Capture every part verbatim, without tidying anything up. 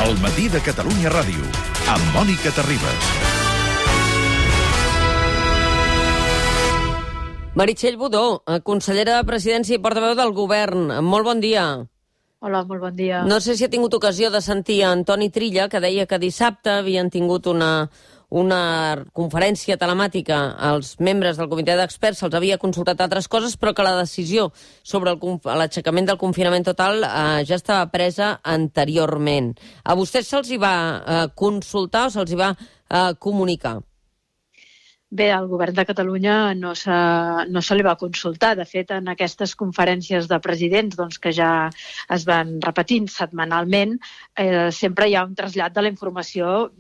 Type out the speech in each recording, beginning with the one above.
El matí de Catalunya Ràdio, amb Mònica Terribas. Meritxell Budó, consellera de Presidència i portaveu del Govern. Molt bon dia. Hola, molt bon dia. No sé si ha tingut ocasió de sentir a Antoni Trilla, que deia que dissabte havien tingut una, una conferència telemàtica als membres del comitè d'experts, se'ls havia consultat altres coses, però que la decisió sobre l'aixecament del confinament total eh, ja estava presa anteriorment. A vostès se'ls hi va eh, consultar o se'ls hi va eh, comunicar? Bé, al Govern de Catalunya no se, no se li va consultar. De fet, en aquestes conferències de presidents doncs, que ja es van repetint setmanalment, eh, sempre hi ha un trasllat de la informació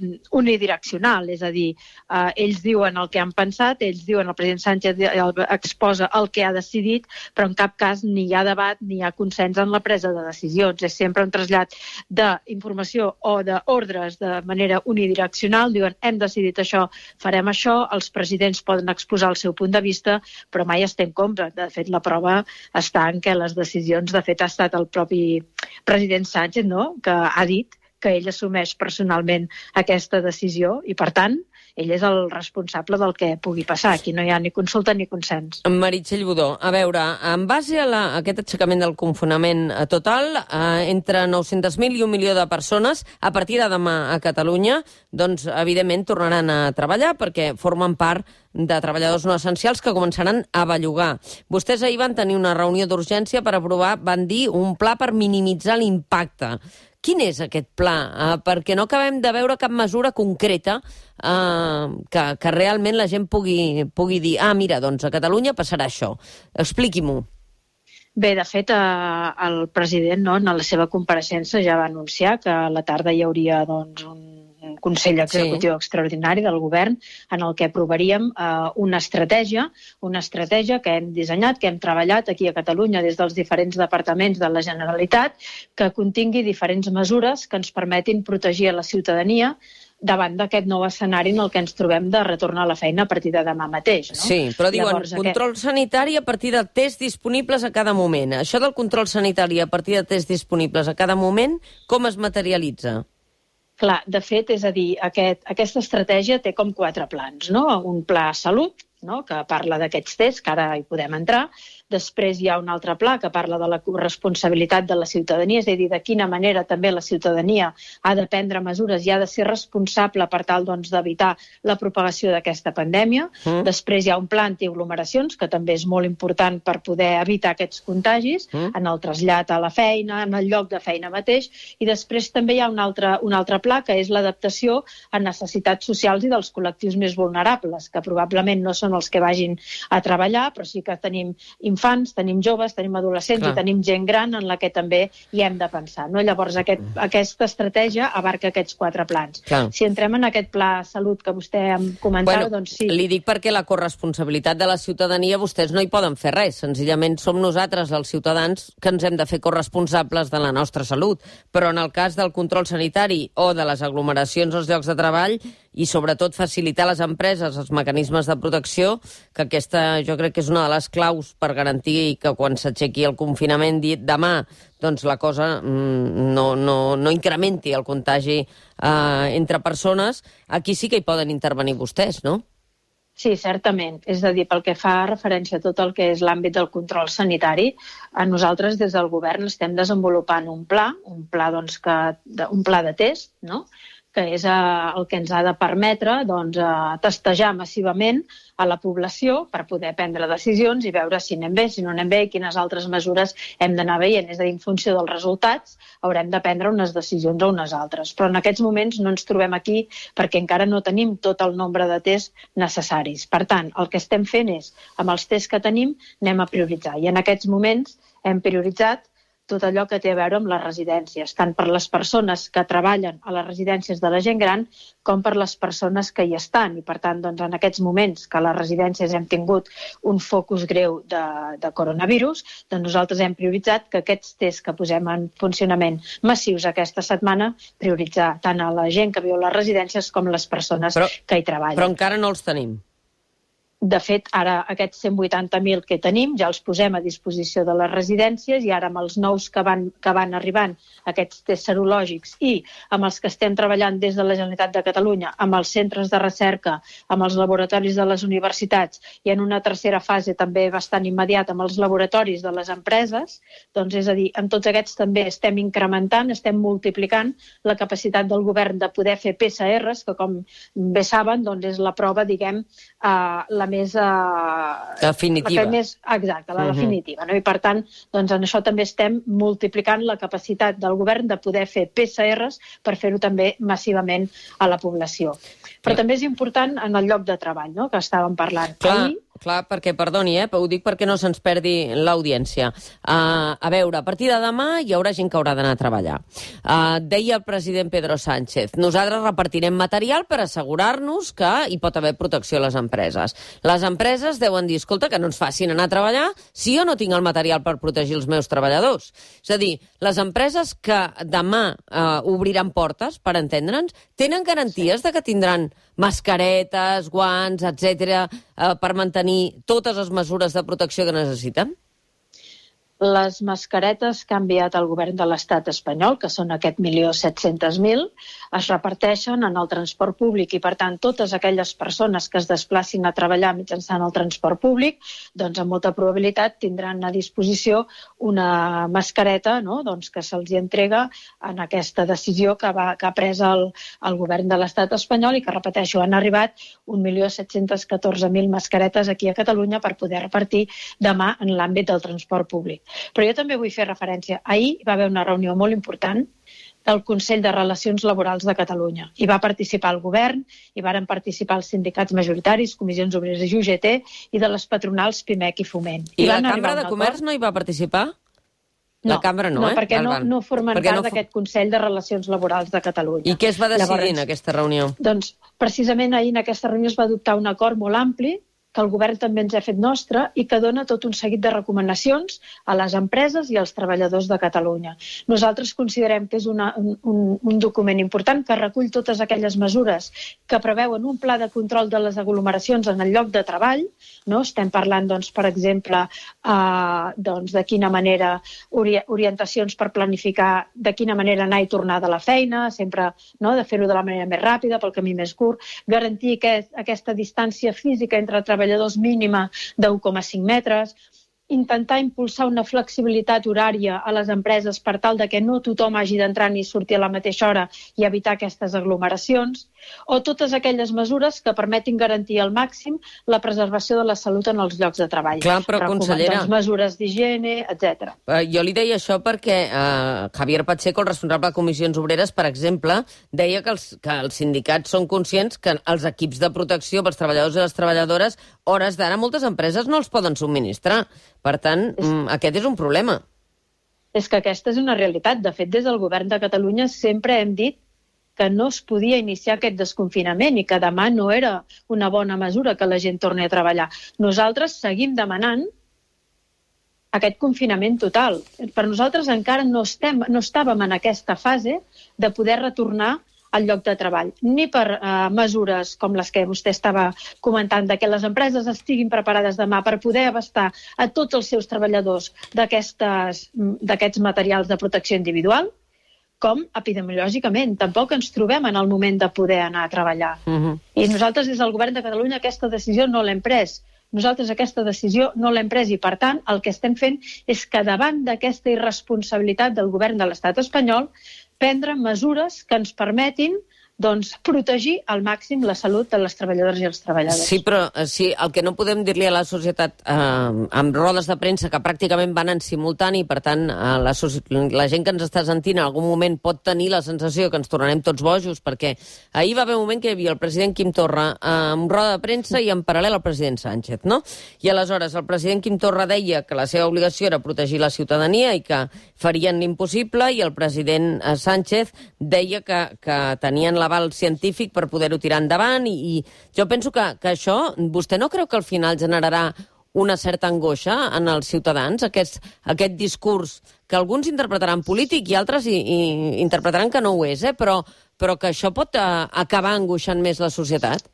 unidireccional. És a dir, eh, ells diuen el que han pensat, ells diuen, el president Sánchez exposa el que ha decidit, però en cap cas ni hi ha debat ni hi ha consens en la presa de decisions. És sempre un trasllat d'informació o d'ordres de manera unidireccional. Diuen, hem decidit això, farem això, els presidents poden exposar el seu punt de vista, però mai es té en compte. De fet, la prova està en què les decisions, de fet, ha estat el propi president Sánchez, no?, que ha dit que ell assumeix personalment aquesta decisió i, per tant, ell és el responsable del que pugui passar. Aquí no hi ha ni consulta ni consens. Meritxell Budó, a veure, en base a, la, a aquest aixecament del confinament total, eh, entre nou-cents mil i un milió de persones, a partir de demà a Catalunya, doncs, evidentment, tornaran a treballar perquè formen part de treballadors no essencials que començaran a bellugar. Vostès ahir van tenir una reunió d'urgència per aprovar, van dir, un pla per minimitzar l'impacte. Quin és aquest pla? Uh, perquè no acabem de veure cap mesura concreta uh, que, que realment la gent pugui, pugui dir ah, mira, doncs a Catalunya passarà això. Expliqui-m'ho. Bé, de fet, eh, el president, no, en la seva compareixença ja va anunciar que a la tarda hi hauria doncs, un un Consell Executiu sí. Extraordinari del Govern en el que aprovaríem eh, una estratègia, una estratègia que hem dissenyat, que hem treballat aquí a Catalunya des dels diferents departaments de la Generalitat, que contingui diferents mesures que ens permetin protegir a la ciutadania davant d'aquest nou escenari en el que ens trobem de retornar a la feina a partir de demà mateix. No? Sí, però diuen Llavors, control aquest... sanitari a partir de tests disponibles a cada moment. Això del control sanitari a partir de tests disponibles a cada moment, com es materialitza? Clar, de fet, és a dir, aquest, aquesta estratègia té com quatre plans, no? Un pla salut, no?, que parla d'aquests tests, que ara hi podem entrar. Després hi ha un altre pla que parla de la corresponsabilitat de la ciutadania, és a dir, de quina manera també la ciutadania ha de prendre mesures i ha de ser responsable per tal doncs, d'evitar la propagació d'aquesta pandèmia. Mm. Després hi ha un pla antiaglomeracions, que també és molt important per poder evitar aquests contagis, mm. en el trasllat a la feina, en el lloc de feina mateix. I després també hi ha un altre, un altre pla, que és l'adaptació a necessitats socials i dels col·lectius més vulnerables, que probablement no són els que vagin a treballar, però sí que tenim infants, tenim joves, tenim adolescents Clar. I tenim gent gran en la que també hi hem de pensar. No? Llavors, aquest, aquesta estratègia abarca aquests quatre plans. Clar. Si entrem en aquest pla salut que vostè em comentava, bueno, doncs sí. Li dic perquè la corresponsabilitat de la ciutadania vostès no hi poden fer res. Senzillament som nosaltres, els ciutadans, que ens hem de fer corresponsables de la nostra salut. Però en el cas del control sanitari o de les aglomeracions als llocs de treball i sobretot facilitar a les empreses els mecanismes de protecció, que aquesta jo crec que és una de les claus per garantir que quan s'aixequi el confinament dit demà, doncs la cosa mm, no, no, no incrementi el contagi eh, entre persones. Aquí sí que hi poden intervenir vostès, no? Sí, certament. És a dir, pel que fa referència a tot el que és l'àmbit del control sanitari, a nosaltres des del govern estem desenvolupant un pla, un pla, doncs, que, un pla de test, no?, que és eh, el que ens ha de permetre doncs, eh, testejar massivament a la població per poder prendre decisions i veure si anem bé, si no anem bé i quines altres mesures hem d'anar veient. És a dir, en funció dels resultats haurem de prendre unes decisions o unes altres. Però en aquests moments no ens trobem aquí perquè encara no tenim tot el nombre de tests necessaris. Per tant, el que estem fent és, amb els tests que tenim, anem a prioritzar. I en aquests moments hem prioritzat tot allò que té a veure amb les residències, tant per les persones que treballen a les residències de la gent gran com per les persones que hi estan. I, per tant, doncs, en aquests moments que a les residències hem tingut un focus greu de, de coronavirus, doncs nosaltres hem prioritzat que aquests tests que posem en funcionament massius aquesta setmana, prioritzar tant a la gent que viu a les residències com les persones però, que hi treballen. Però encara no els tenim. De fet, ara aquests cent vuitanta mil que tenim ja els posem a disposició de les residències i ara amb els nous que van, que van arribant, aquests tests serològics i amb els que estem treballant des de la Generalitat de Catalunya, amb els centres de recerca, amb els laboratoris de les universitats i en una tercera fase també bastant immediata amb els laboratoris de les empreses, doncs és a dir, amb tots aquests també estem incrementant, estem multiplicant la capacitat del govern de poder fer P C Rs, que com bé saben doncs és la prova, diguem, eh, la més... Uh, definitiva. La més, exacte, la uh-huh. definitiva. No? I per tant, doncs en això també estem multiplicant la capacitat del govern de poder fer P C Rs per fer-ho també massivament a la població. Però sí. també és important en el lloc de treball, no? Que estàvem parlant. Clar. Ahir, Clar, perquè, perdoni, eh, però ho dic perquè no se'ns perdi l'audiència. Uh, a veure, a partir de demà hi haurà gent que haurà d'anar a treballar. Uh, deia el president Pedro Sánchez, nosaltres repartirem material per assegurar-nos que hi pot haver protecció a les empreses. Les empreses deuen dir, escolta, que no ens facin anar a treballar si jo no tinc el material per protegir els meus treballadors. És a dir, les empreses que demà uh, obriran portes, per entendre'ns, tenen garanties de que tindran mascaretes, guants, etcètera, eh, per mantenir totes les mesures de protecció que necessiten? Les mascaretes que ha enviat el govern de l'estat espanyol, que són aquest milió set-cents mil, es reparteixen en el transport públic i, per tant, totes aquelles persones que es desplacin a treballar mitjançant el transport públic, doncs amb molta probabilitat tindran a disposició una mascareta, no? Doncs que se'ls entrega en aquesta decisió que, va, que ha pres el, el govern de l'estat espanyol i que, repeteixo, han arribat un milió set-cents catorze mil mascaretes aquí a Catalunya per poder repartir demà en l'àmbit del transport públic. Però jo també vull fer referència. Ahir va haver una reunió molt important del Consell de Relacions Laborals de Catalunya. Hi va participar el govern, hi varen participar els sindicats majoritaris, Comissions Obreres i U G T, i de les patronals Pimec i Foment. I, I la Cambra de Comerç no hi va participar? No, la Cambra no, no eh? perquè no, no formen perquè part no... d'aquest Consell de Relacions Laborals de Catalunya. I què es va decidir Llavors, en aquesta reunió? Doncs, precisament ahir en aquesta reunió es va adoptar un acord molt ampli que el govern també ens ha fet nostre i que dona tot un seguit de recomanacions a les empreses i als treballadors de Catalunya. Nosaltres considerem que és una, un, un document important que recull totes aquelles mesures que preveuen un pla de control de les aglomeracions en el lloc de treball. No? Estem parlant, doncs, per exemple, eh, doncs, de quina manera ori orientacions per planificar de quina manera anar i tornar de la feina, sempre, no? De fer-ho de la manera més ràpida, pel camí més curt, garantir que aquesta distància física entre treballadors treballadors mínima d'u coma cinc metres, intentar impulsar una flexibilitat horària a les empreses per tal de que no tothom hagi d'entrar ni sortir a la mateixa hora i evitar aquestes aglomeracions, o totes aquelles mesures que permetin garantir al màxim la preservació de la salut en els llocs de treball. Clar, però, consellera... Doncs, mesures d'higiene, etcètera. Uh, jo li deia això perquè uh, Javier Pacheco, el responsable de Comissions Obreres, per exemple, deia que els, que els sindicats són conscients que els equips de protecció pels treballadors i les treballadores, hores d'ara, moltes empreses no els poden subministrar. Per tant, és... aquest és un problema. És que aquesta és una realitat. De fet, des del govern de Catalunya sempre hem dit que no es podia iniciar aquest desconfinament i que demà no era una bona mesura que la gent torni a treballar. Nosaltres seguim demanant aquest confinament total. Per nosaltres encara no, estem, no estàvem en aquesta fase de poder retornar al lloc de treball, ni per uh, mesures com les que vostè estava comentant, de que les empreses estiguin preparades demà per poder abastar a tots els seus treballadors d'aquests materials de protecció individual, com epidemiològicament. Tampoc ens trobem en el moment de poder anar a treballar. Uh-huh. I nosaltres, des del govern de Catalunya, aquesta decisió no l'hem pres. Nosaltres aquesta decisió no l'hem pres i, per tant, el que estem fent és que davant d'aquesta irresponsabilitat del govern de l'estat espanyol prendre mesures que ens permetin doncs, protegir al màxim la salut de les treballadores i els treballadors. Sí, però sí, el que no podem dir-li a la societat eh, amb rodes de premsa que pràcticament van en simultani, per tant, eh, la, la gent que ens està sentint en algun moment pot tenir la sensació que ens tornarem tots bojos, perquè ahir va haver un moment que hi havia el president Quim Torra eh, amb roda de premsa i en paral·lel el president Sánchez, no? I aleshores el president Quim Torra deia que la seva obligació era protegir la ciutadania i que farien l'impossible, i el president eh, Sánchez deia que, que tenien l'aval científic per poder-ho tirar endavant, i, i jo penso que, que això, vostè no creu que al final generarà una certa angoixa en els ciutadans, aquest, aquest discurs que alguns interpretaran polític i altres i, i interpretaran que no ho és, eh? però, però que això pot a, acabar angoixant més la societat?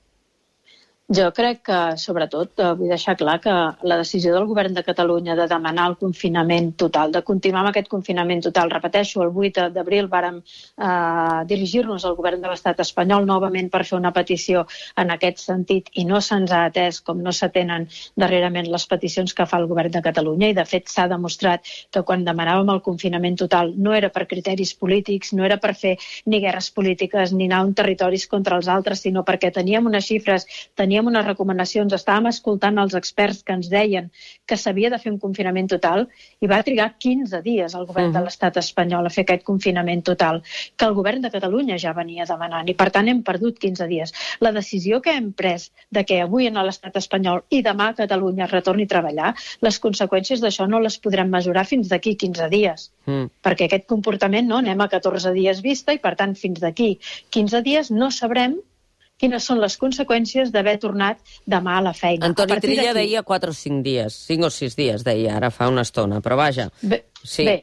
Jo crec que, sobretot, vull deixar clar que la decisió del Govern de Catalunya de demanar el confinament total, de continuar amb aquest confinament total, repeteixo, el vuit d'abril vàrem eh, dirigir-nos al Govern de l'Estat espanyol novament per fer una petició en aquest sentit i no se'ns ha atès com no s'atenen darrerament les peticions que fa el Govern de Catalunya i, de fet, s'ha demostrat que quan demanàvem el confinament total no era per criteris polítics, no era per fer ni guerres polítiques ni anar a un territoris contra els altres, sinó perquè teníem unes xifres, teníem unes recomanacions, estàvem escoltant els experts que ens deien que s'havia de fer un confinament total i va trigar quinze dies el govern uh-huh. de l'estat espanyol a fer aquest confinament total, que el govern de Catalunya ja venia demanant i per tant hem perdut quinze dies. La decisió que hem pres de que avui en l'estat espanyol i demà a Catalunya es retorni a treballar, les conseqüències d'això no les podrem mesurar fins d'aquí quinze dies, mm. perquè aquest comportament no anem a catorze dies vista i per tant fins d'aquí quinze dies no sabrem quines són les conseqüències d'haver tornat demà a la feina. Antoni Trilla deia quatre o cinc dies, cinc o sis dies, deia, ara fa una estona, però vaja. Bé, sí. bé,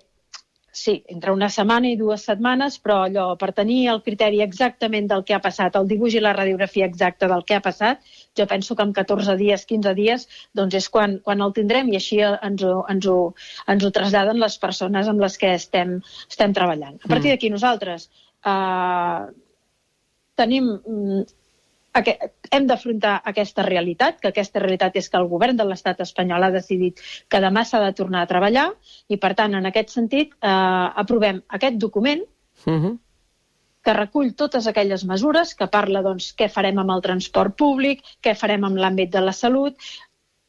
sí, entre una setmana i dues setmanes, però allò, per tenir el criteri exactament del que ha passat, el dibuix i la radiografia exacta del que ha passat, jo penso que en catorze dies, quinze dies, doncs és quan, quan el tindrem i així ens ho, ens, ho, ens ho traslladen les persones amb les que estem, estem treballant. A partir d'aquí nosaltres eh, tenim... hem d'afrontar aquesta realitat, que aquesta realitat és que el govern de l'estat espanyol ha decidit que demà s'ha de tornar a treballar i, per tant, en aquest sentit, eh, aprovem aquest document uh-huh. que recull totes aquelles mesures, que parla, doncs, què farem amb el transport públic, què farem amb l'àmbit de la salut,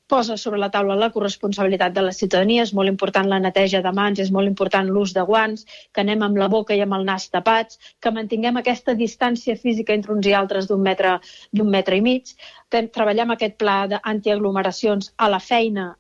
posa sobre la taula la corresponsabilitat de la ciutadania, és molt important la neteja de mans, és molt important l'ús de guants, que anem amb la boca i amb el nas tapats, que mantinguem aquesta distància física entre uns i altres d'un metre, d'un metre i mig, que treballem aquest pla d'antiaglomeracions a la feina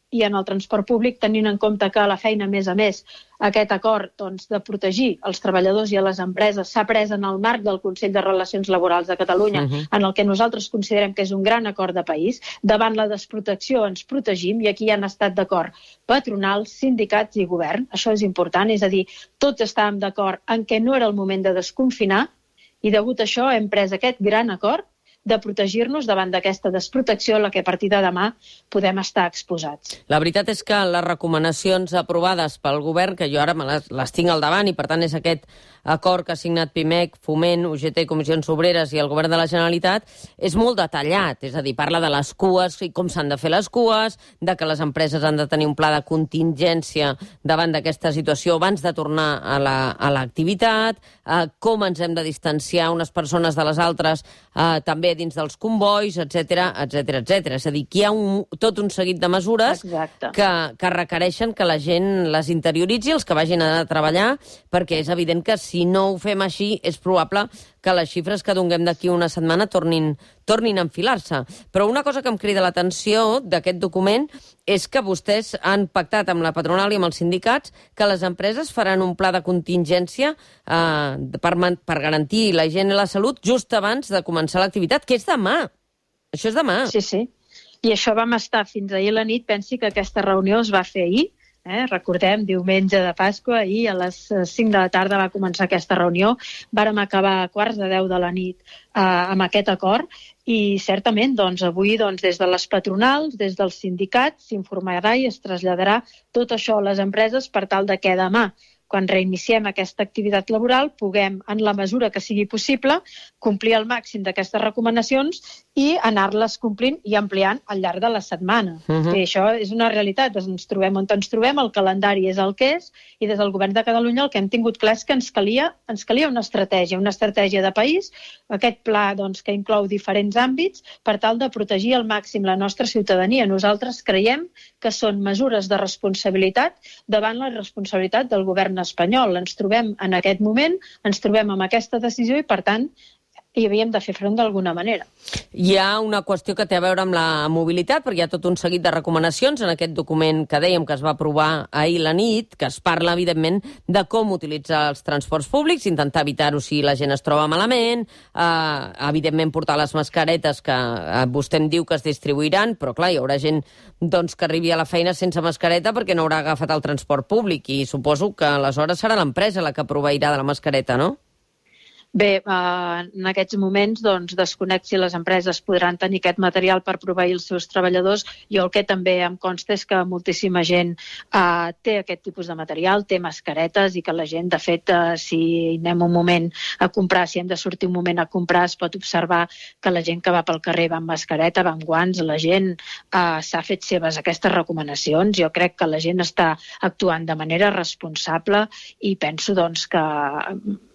i en el transport públic, tenint en compte que a la feina, a més a més, aquest acord doncs, de protegir els treballadors i a les empreses s'ha pres en el marc del Consell de Relacions Laborals de Catalunya, uh-huh. en el que nosaltres considerem que és un gran acord de país. Davant la desprotecció ens protegim i aquí han estat d'acord patronals, sindicats i govern. Això és important, és a dir, tots estàvem d'acord en què no era el moment de desconfinar i degut a això hem pres aquest gran acord de protegir-nos davant d'aquesta desprotecció a la que a partir de demà podem estar exposats. La veritat és que les recomanacions aprovades pel govern, que jo ara me les, les tinc al davant i per tant és aquest acord que ha signat Pimec, Foment, U G T, Comissions Obreres i el govern de la Generalitat, és molt detallat, és a dir, parla de les cues i com s'han de fer les cues, de que les empreses han de tenir un pla de contingència davant d'aquesta situació abans de tornar a la, a l'activitat, eh, com ens hem de distanciar unes persones de les altres, eh, també dins dels convois, etcètera, etcètera, etcètera. És a dir, que hi ha un, tot un seguit de mesures que, que requereixen que la gent les interioritzi, els que vagin a treballar, perquè és evident que si no ho fem així és probable que les xifres que donem d'aquí una setmana tornin, tornin a enfilar-se. Però una cosa que em crida l'atenció d'aquest document és que vostès han pactat amb la patronal i amb els sindicats que les empreses faran un pla de contingència eh, per, per garantir la higiene i la salut just abans de començar l'activitat, que és demà. Això és demà. Sí, sí. I això vam estar fins ahir a la nit. Pensi que aquesta reunió es va fer ahir. Eh? Recordem, diumenge de Pasqua, i a les cinc de la tarda va començar aquesta reunió. Vàrem acabar a quarts de deu de la nit eh, amb aquest acord i certament doncs, avui doncs, des de les patronals, des dels sindicats, s'informarà i es traslladarà tot això a les empreses per tal de que demà, quan reiniciem aquesta activitat laboral, puguem, en la mesura que sigui possible, complir el màxim d'aquestes recomanacions i anar-les complint i ampliant al llarg de la setmana. Uh-huh. I això és una realitat. Ens trobem on ens trobem, el calendari és el que és, i des del govern de Catalunya el que hem tingut clar és que ens calia, ens calia una estratègia, una estratègia de país, aquest pla doncs, que inclou diferents àmbits, per tal de protegir al màxim la nostra ciutadania. Nosaltres creiem que són mesures de responsabilitat davant la responsabilitat del govern espanyol. Ens trobem en aquest moment, ens trobem amb aquesta decisió i, per tant, hi havíem de fer front d'alguna manera. Hi ha una qüestió que té a veure amb la mobilitat, perquè hi ha tot un seguit de recomanacions en aquest document que dèiem que es va aprovar ahir la nit, que es parla, evidentment, de com utilitzar els transports públics, intentar evitar-ho si la gent es troba malament, eh, evidentment portar les mascaretes que eh, vostè em diu que es distribuiran, però clar, hi haurà gent doncs, que arribi a la feina sense mascareta perquè no haurà agafat el transport públic i suposo que aleshores serà l'empresa la que proveirà de la mascareta, no? Bé, eh, en aquests moments doncs, desconec si les empreses podran tenir aquest material per proveir els seus treballadors. Jo el que també em consta és que moltíssima gent eh, té aquest tipus de material, té mascaretes i que la gent, de fet, eh, si anem un moment a comprar, si hem de sortir un moment a comprar, es pot observar que la gent que va pel carrer va amb mascareta, va amb guants, la gent eh, s'ha fet seves aquestes recomanacions. Jo crec que la gent està actuant de manera responsable i penso doncs, que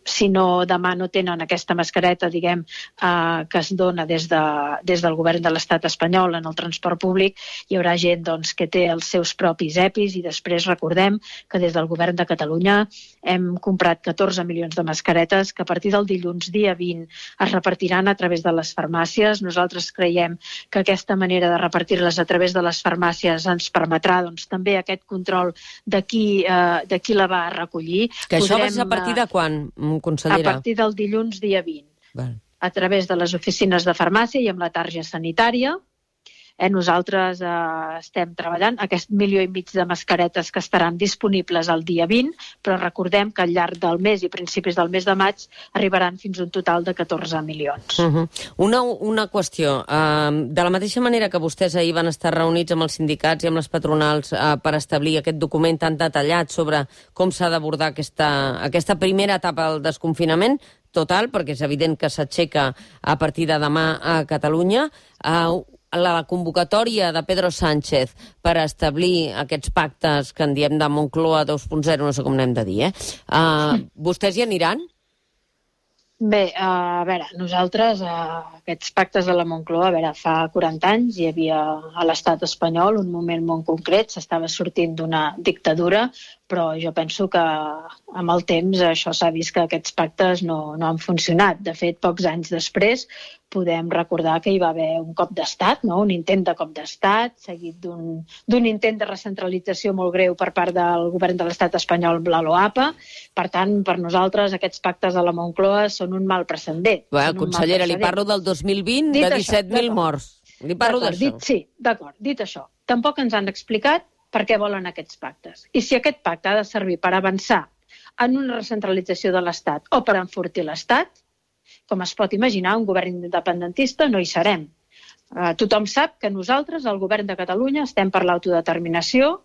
si no demà no tenen aquesta mascareta, diguem, eh, que es dona des, de, des del govern de l'estat espanyol en el transport públic, hi haurà gent doncs, que té els seus propis EPIs i després recordem que des del govern de Catalunya hem comprat catorze milions de mascaretes que a partir del dilluns dia vint es repartiran a través de les farmàcies. Nosaltres creiem que aquesta manera de repartir-les a través de les farmàcies ens permetrà doncs, també aquest control de qui, eh, de qui la va recollir. Que això va ser a partir de quan, consellera? A partir del dilluns dia vint. Val. A través de les oficines de farmàcia i amb la targeta sanitària. Eh, nosaltres eh, estem treballant aquest milió i mig de mascaretes que estaran disponibles el dia vint, però recordem que al llarg del mes i principis del mes de maig arribaran fins a un total de catorze milions. Uh -huh. una, una qüestió. Uh, de la mateixa manera que vostès ahir van estar reunits amb els sindicats i amb les patronals uh, per establir aquest document tan detallat sobre com s'ha d'abordar aquesta, aquesta primera etapa del desconfinament total, perquè és evident que s'aixeca a partir de demà a Catalunya, uh, la convocatòria de Pedro Sánchez per establir aquests pactes que en diem de Moncloa dos punt zero, no sé com n'hem de dir, eh? Uh, vostès hi aniran? Bé, a veure, nosaltres, aquests pactes de la Moncloa, a veure, fa quaranta anys hi havia a l'estat espanyol un moment molt concret, s'estava sortint d'una dictadura, però jo penso que amb el temps això s'ha vist que aquests pactes no, no han funcionat. De fet, pocs anys després podem recordar que hi va haver un cop d'estat, no? Un intent de cop d'estat, seguit d'un intent de recentralització molt greu per part del govern de l'estat espanyol amb la LOAPA. Per tant, per nosaltres aquests pactes de la Moncloa són un mal precedent. Bé, consellera, li parlo del dos mil vint, de disset mil morts. Li parlo d'això. Sí, d'acord, dit això. Tampoc ens han explicat per què volen aquests pactes. I si aquest pacte ha de servir per avançar en una recentralització de l'Estat o per enfortir l'Estat, com es pot imaginar, un govern independentista no hi serem. Uh, tothom sap que nosaltres, el govern de Catalunya, estem per l'autodeterminació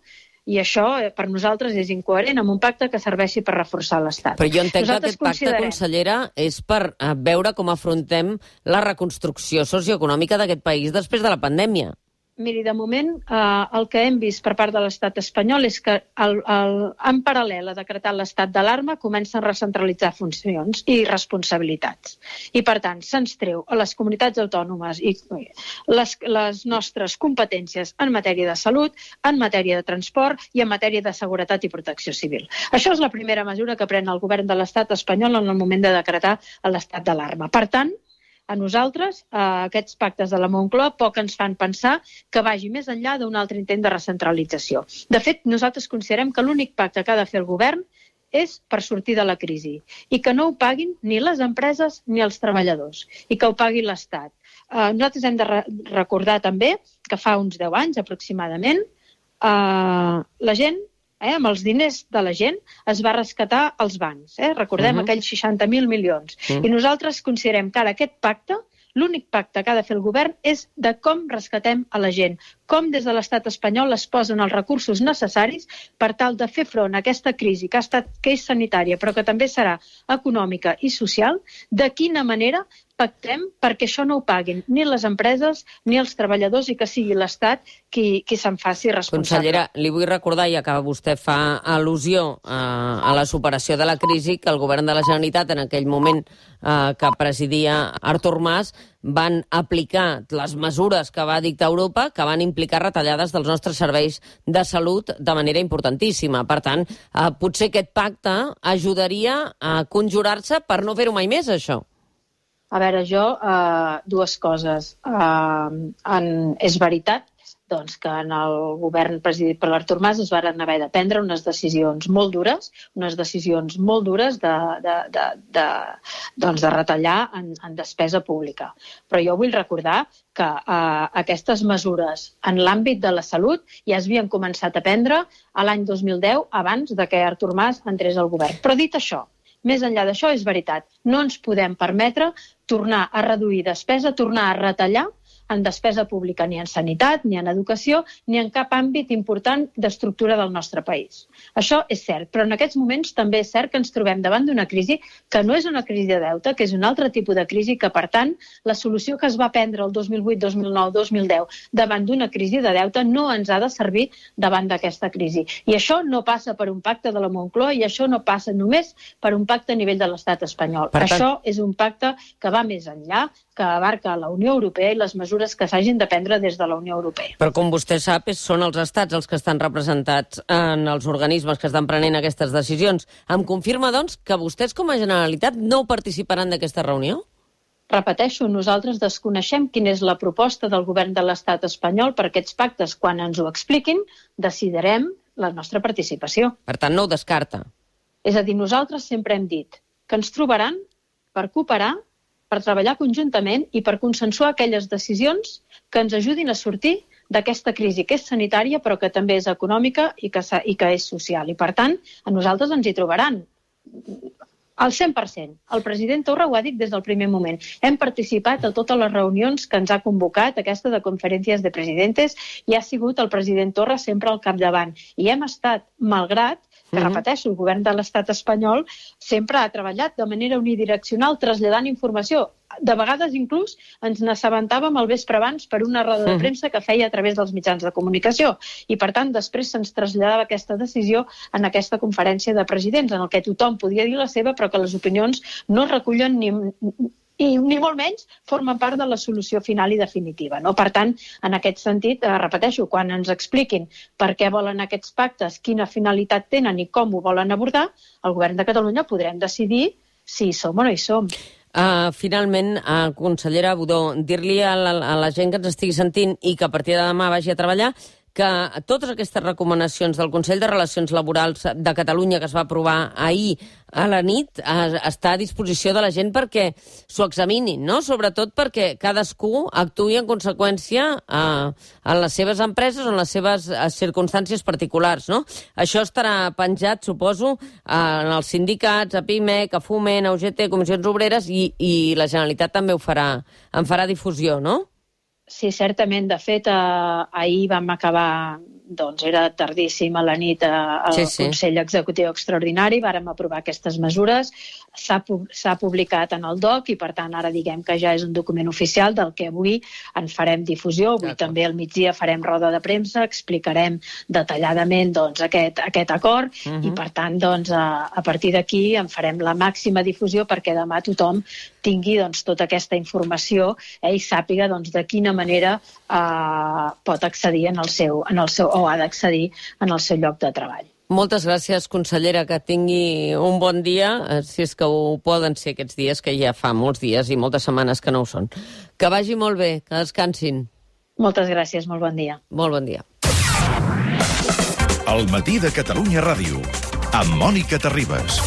i això per nosaltres és incoherent amb un pacte que serveixi per reforçar l'Estat. Però jo entenc nosaltres que aquest pacte, consellera, és per uh, veure com afrontem la reconstrucció socioeconòmica d'aquest país després de la pandèmia. Miri, de moment, eh, el que hem vist per part de l'estat espanyol és que el, el, en paral·lel a decretar l'estat d'alarma comencen a recentralitzar funcions i responsabilitats. I, per tant, se'ns treu a les comunitats autònomes i les, les nostres competències en matèria de salut, en matèria de transport i en matèria de seguretat i protecció civil. Això és la primera mesura que pren el govern de l'estat espanyol en el moment de decretar l'estat d'alarma. Per tant, a nosaltres, eh, aquests pactes de la Moncloa poc ens fan pensar que vagi més enllà d'un altre intent de recentralització. De fet, nosaltres considerem que l'únic pacte que ha de fer el govern és per sortir de la crisi i que no ho paguin ni les empreses ni els treballadors i que ho pagui l'Estat. Eh, nosaltres hem de re recordar també que fa uns deu anys aproximadament eh, la gent Eh, amb els diners de la gent es va rescatar els bancs. Eh? Recordem uh -huh. aquells seixanta mil milions. Uh -huh. I nosaltres considerem que ara aquest pacte, l'únic pacte que ha de fer el govern és de com rescatem a la gent, com des de l'estat espanyol es posen els recursos necessaris per tal de fer front a aquesta crisi que ha estat que és sanitària, però que també serà econòmica i social, de quina manera pactem perquè això no ho paguin ni les empreses ni els treballadors i que sigui l'Estat qui, qui se'n faci responsable. Consellera, li vull recordar, ja que vostè fa al·lusió a, a la superació de la crisi, que el govern de la Generalitat, en aquell moment eh, que presidia Artur Mas, van aplicar les mesures que va dictar Europa, que van implicar retallades dels nostres serveis de salut de manera importantíssima. Per tant, eh, potser aquest pacte ajudaria a conjurar-se per no fer-ho mai més, això. A veure, jo, eh, dues coses. Eh, en, és veritat doncs, que en el govern presidit per l'Artur Mas es van haver de prendre unes decisions molt dures, unes decisions molt dures de, de, de, de, doncs de retallar en, en despesa pública. Però jo vull recordar que eh, aquestes mesures en l'àmbit de la salut ja es havien començat a prendre a l'any dos mil deu, abans de que Artur Mas entrés al govern. Però dit això, més enllà d'això, és veritat. No ens podem permetre tornar a reduir despesa, tornar a retallar en despesa pública, ni en sanitat, ni en educació, ni en cap àmbit important d'estructura del nostre país. Això és cert, però en aquests moments també és cert que ens trobem davant d'una crisi que no és una crisi de deute, que és un altre tipus de crisi, que, per tant, la solució que es va prendre el dos mil vuit, dos mil nou, dos mil deu davant d'una crisi de deute no ens ha de servir davant d'aquesta crisi. I això no passa per un pacte de la Moncloa i això no passa només per un pacte a nivell de l'estat espanyol. Per això tant... és un pacte que va més enllà, que abarca la Unió Europea i les mesures que s'hagin de prendre des de la Unió Europea. Però com vostè sap, són els estats els que estan representats en els organismes que estan prenent aquestes decisions. Em confirma, doncs, que vostès com a Generalitat no participaran d'aquesta reunió? Repeteixo, nosaltres desconeixem quina és la proposta del govern de l'estat espanyol per aquests pactes. Quan ens ho expliquin, decidirem la nostra participació. Per tant, no ho descarta. És a dir, nosaltres sempre hem dit que ens trobaran per cooperar, per treballar conjuntament i per consensuar aquelles decisions que ens ajudin a sortir d'aquesta crisi que és sanitària però que també és econòmica i que, i que és social. I, per tant, a nosaltres ens hi trobaran al cent per cent. El president Torra ho ha dit des del primer moment. Hem participat a totes les reunions que ens ha convocat, aquesta de conferències de presidentes, i ha sigut el president Torra sempre al capdavant. I hem estat, malgrat que, repeteixo, el govern de l'estat espanyol sempre ha treballat de manera unidireccional traslladant informació. De vegades, inclús, ens n'assabentàvem al vespre abans per una roda de premsa que feia a través dels mitjans de comunicació. I, per tant, després se'ns traslladava aquesta decisió en aquesta conferència de presidents, en el que tothom podia dir la seva, però que les opinions no recullen ni... i ni molt menys formen part de la solució final i definitiva. No? Per tant, en aquest sentit, eh, repeteixo, quan ens expliquin per què volen aquests pactes, quina finalitat tenen i com ho volen abordar, el govern de Catalunya podrem decidir si hi som o no hi som. Uh, finalment, uh, consellera Budó, dir-li a la, a la gent que ens estigui sentint i que a partir de demà vagi a treballar que totes aquestes recomanacions del Consell de Relacions Laborals de Catalunya que es va aprovar ahir a la nit eh, està a disposició de la gent perquè s'ho examinin, no? Sobretot perquè cadascú actuï en conseqüència eh, en les seves empreses o en les seves eh, circumstàncies particulars, no? Això estarà penjat, suposo, eh, en els sindicats, a PIMEC, a Foment, a U G T, Comissions Obreres, i, i la Generalitat també ho farà, en farà difusió, no? Sí, certament. De fet, eh, ahir vam acabar, doncs era tardíssim a la nit eh, al sí, sí. Consell Executiu Extraordinari, vàrem aprovar aquestes mesures, s'ha publicat en el D O C i, per tant, ara diguem que ja és un document oficial del que avui en farem difusió. Avui també al migdia farem roda de premsa, explicarem detalladament doncs, aquest, aquest acord uh -huh. i, per tant, doncs, a, a partir d'aquí en farem la màxima difusió perquè demà tothom tingui doncs, tota aquesta informació eh, i sàpiga doncs, de quina manera eh, pot accedir en el seu, en el seu, o ha d'accedir en el seu lloc de treball. Moltes gràcies, consellera, que tingui un bon dia, si és que ho poden ser aquests dies, que ja fa molts dies i moltes setmanes que no ho són. Que vagi molt bé, que descansin. Moltes gràcies, molt bon dia. Molt bon dia. El matí de Catalunya Ràdio, amb Mònica Terribas.